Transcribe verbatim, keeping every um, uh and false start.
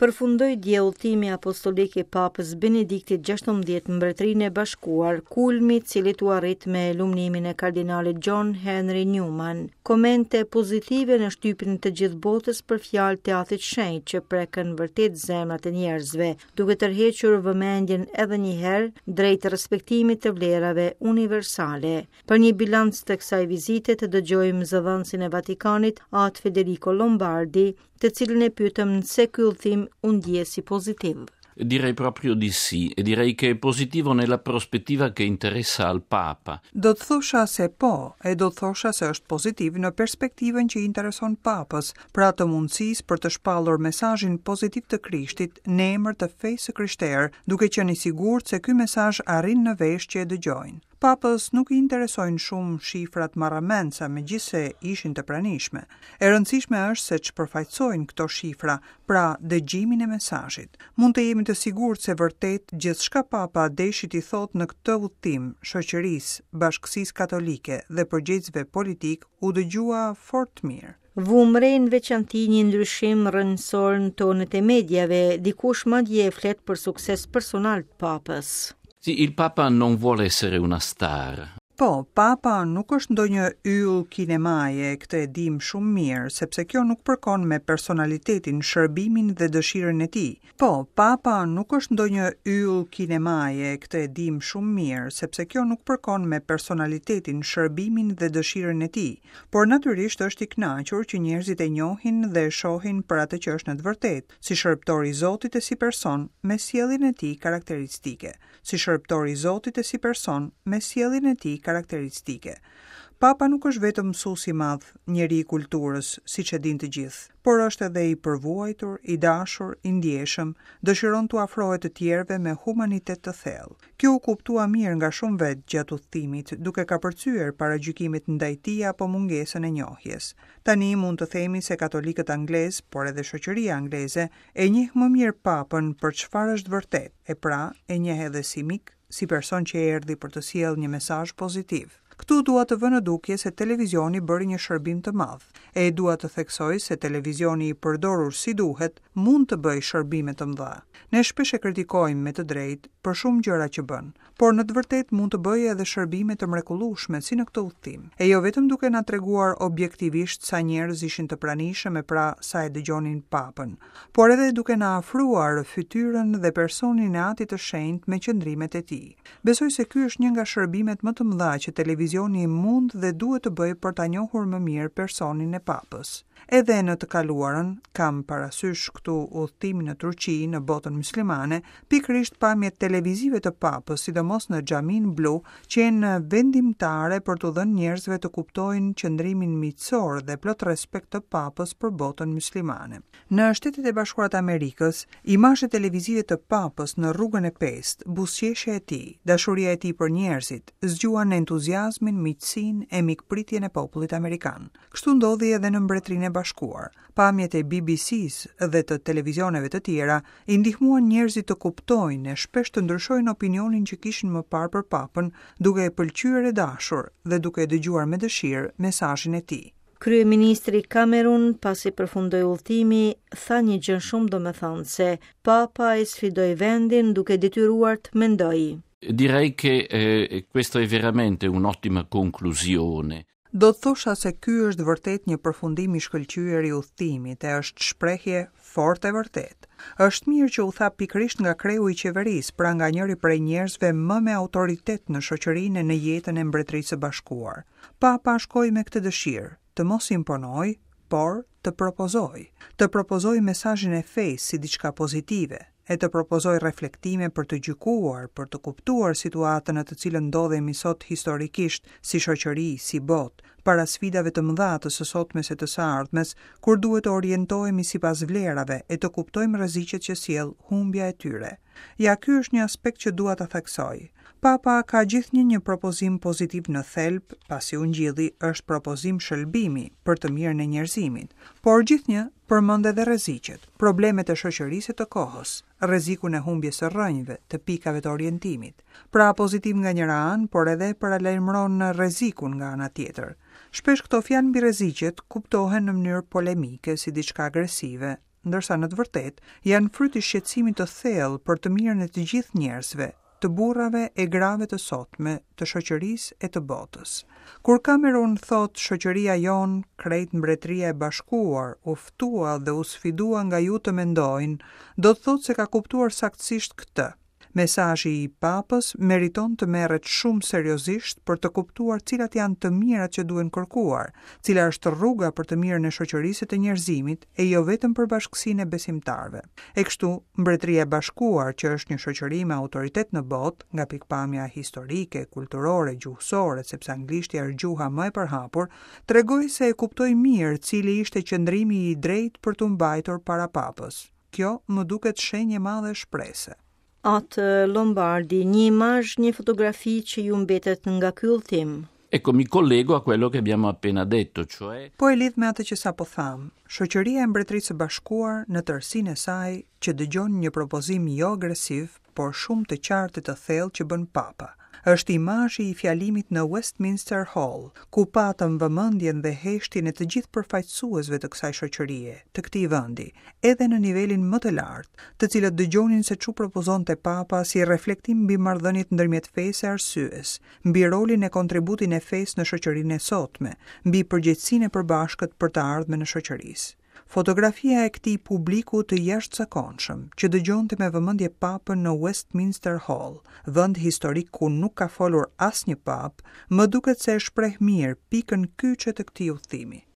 Përfundoi dje udhëtimi apostolik i Papës Benediktit gjashtëmbëdhjetë në Mbretërinë e Bashkuar, kulmi i cilit u arrit me lumnimin e kardinalit John Henry Newman. Komente pozitive në shtypin të gjithë botës për fjalë të Atit Shenjt që prekën vërtet zemrat e njerëzve, duke tërhequr vëmendjen edhe një herë drejt respektimit të vlerave universale. Për një bilanc të kësaj vizite të dëgjojmë zëdhënësin e Vatikanit, Atë Federico Lombardi, të cilin e pyetëm nëse ky udhëtim u ndje si pozitiv. Direi proprio di sì, e direi che è positivo nella prospettiva che interessa al Papa. Do të thosha se po, e do të thosha se është pozitiv në perspektivën që i intereson Papës, pra të mundësisë për të shpallur mesazhin pozitiv të Krishtit në emër të fesë së krishterë, duke qenë i sigurt se ky mesazh arrin në vesh që e dëgjojnë. Papës nuk i interesojnë shumë shifrat marramendëse, megjithëse ishin të pranishme. E rëndësishme është se ç'përfaqësojnë këto shifra, pra dëgjimin e mesazhit. Mund të jemi të sigurt se vërtet gjithçka Papa deshi t'i thotë në këtë udhëtim shoqërisë, bashkësisë katolike dhe përgjegjësve politik u dëgjua fort mirë. Vumë re në veçanti një ndryshim rrënjësor në tonet e mediave, dikush madje flet për sukses personal të Papës. Sì, il Papa non vuole essere una star. Po, Papa nuk është ndonjë yll kinemaje, këtë e dim shumë mirë, sepse kjo nuk përkon me personalitetin, shërbimin dhe dëshirën e tij. Po, Papa nuk është ndonjë yll kinemaje, këtë e dim shumë mirë, sepse kjo nuk përkon me personalitetin, shërbimin dhe dëshirën e tij. Por natyrisht është i kënaqur që njerëzit e njohin dhe e shohin për atë që është në të vërtetë, si shërbëtor i Zotit e si person me sjelljen e tij karakteristike. Si shërbëtor i Zotit e si person me sjelljen e tij karakteristike. Papa nuk është vetëm mësues i madh, njeri i kulturës, siç e din të gjithë, por është edhe i përvuajtur, i dashur, i ndjeshëm, dëshiron t'u afrohet të tjerëve me humanitet të thellë. Kjo u kuptua mirë nga shumë vetë gjatë udhëtimit, duke kapërcyer paragjykimet ndaj tij apo mungesën e njohjes. Tani mund të themi se katolikët anglez, por edhe shoqëria angleze, e njeh më mirë Papën për çfarë është vërtet, e pra e njeh edhe si mik, si person që erdhi për të sjellë një mesazh pozitiv. Këtu dua të vë në dukje se televizioni bëri një shërbim të madh, e dua të theksoj se televizioni i përdorur si duhet mund të bëjë shërbime të mëdha. Ne shpesh e kritikojmë me të drejtë për shumë gjëra që bën, por në të vërtetë mund të bëjë edhe shërbime të mrekullueshme si në këtë udhëtim. E jo vetëm duke na treguar objektivisht sa njerëz ishin të pranishëm e pra sa e dëgjonin Papën, por edhe duke na afruar fytyrën dhe personin e Atit të Shenjtë me qëndrimet e tij. Besoj se ky është një nga shërbimet më të mëdha që televizioni mund dhe duhet të bëjë për ta njohur më mirë personin e Papës. Edhe në të kaluarën, kam parasysh këtu udhëtimin në Turqi, në botën muslimane, pikërisht pamjet televizive të Papës, sidomos në xhamin blu, qenë vendimtare për t'u dhënë njerëzve të kuptojnë qëndrimin miqësor dhe plot respekt të Papës për botën muslimane. Në Shtetet e Bashkuara të Amerikës, imazhet televizive të Papës në rrugën e pestë, buzëqeshja e tij, dashuria e tij për njerëzit, zgjuan entuziazmin, miqësinë e mikpritjen e popullit amerikan. Kështu ndodhi edhe në Mbretërinë e Bashkuar. Pamjet e B B C-s dhe të televizioneve të tjera i ndihmuan njerëzit të kuptojnë e shpesh të ndryshojnë opinionin që kishin më parë për Papën, duke e pëlqyer e dashur dhe duke e dëgjuar me dëshirë mesazhin e tij. Kryeministri Cameron, pasi përfundoi udhëtimi, tha një gjë shumë domethënëse. Papa e sfidoi vendin duke detyruar të mendojë. Direi che, eh, questa è veramente un'ottima conclusione. Do të thosha se ky është vërtet një përfundim i shkëlqyer i udhëtimit e është shprehje fort e vërtet. Është mirë që u tha pikërisht nga kreu i qeverisë, pra nga njëri prej njerëzve më me autoritet në shoqërinë e në jetën e Mbretërisë së Bashkuar. Papa shkoi me këtë dëshirë, të mos imponoj, por të propozoj. Të propozoj mesazhin e fesë si diçka pozitive, e të propozoj reflektime për të gjykuar, për të kuptuar situatën në të cilën ndodhemi sot historikisht, si shoqëri, si botë, para sfidave të mëdha të së sotmes e të së ardhmes, kur duhet të orientohemi sipas vlerave e të kuptojmë rreziqet që sjell humbja e tyre. Ja, ky është një aspekt që dua ta theksoj. Papa ka gjithnjë një propozim pozitiv në thelb, pasi ungjilli është propozim shëlbimi për të mirën e njerëzimit, por gjithnjë përmend edhe rreziqet, problemet e shoqërisë e të kohës, rrezikun e humbjes së rrënjëve, të pikave të orientimit. Pra pozitiv nga njëra anë, por edhe paralajmëron rrezikun nga ana tjetër. Shpesh këto fjalë mbi rreziqet kuptohen në mënyrë polemike si diçka agresive. ndërsa në të vërtetë janë fryt i shqetësimit të thellë për të mirën e të gjithë njerëzve, të burrave e grave të sotme, të shoqërisë e të botës. Kur Cameron thotë shoqëria jonë, krejt Mbretëria e Bashkuar, u ftua dhe u sfidua nga ju të mendojnë, do të thotë se ka kuptuar saktësisht këtë. Mesazhi i Papës meriton të merret shumë seriozisht për të kuptuar cilat janë të mirat që duhen kërkuar, cila është rruga për të mirën e shoqërisë të njerëzimit e jo vetëm për bashkësinë e besimtarëve. E kështu, Mbretëria e Bashkuar, që është një shoqëri me autoritet në botë, nga pikpamja historike, kulturore, gjuhësore, sepse anglishtja është gjuha më e përhapur, tregoi se e kuptoi mirë cili ishte qëndrimi i drejtë për të mbajtur para Papës. Kjo më duket shenjë e madhe shprese. Atë Lombardi, një imazh, një fotografi që ju mbetet nga ky udhtim. Ecco, mi collego a quello che abbiamo appena detto, cioè Po e lidh me atë që sapo thamë, shoqëria e Mbretërisë së Bashkuar në tërësinë e saj që dëgjon një propozim jo agresiv, por shumë të qartë e të thellë që bën Papa. Është imazhi i fjalimit në Westminster Hall, ku patëm vëmendjen dhe heshtjen e të gjithë përfaqësuesve të kësaj shoqërie, të këtij vendi, edhe në nivelin më të lartë, të cilët dëgjonin se ç'u propozonte Papa si reflektim mbi marrëdhëniet ndërmjet fesë e arsyes, mbi rolin e kontributin e fesë në shoqërinë e sotme, mbi përgjegjësinë e përbashkët për të ardhmen e shoqërisë. Fotografia e këtij publiku të jashtëzakonshëm, që dëgjonte me vëmendje Papën në Westminster Hall, vend historik ku nuk ka folur asnjë papë, më duket se e shpreh mirë pikën kyçe të këtij udhëtimi.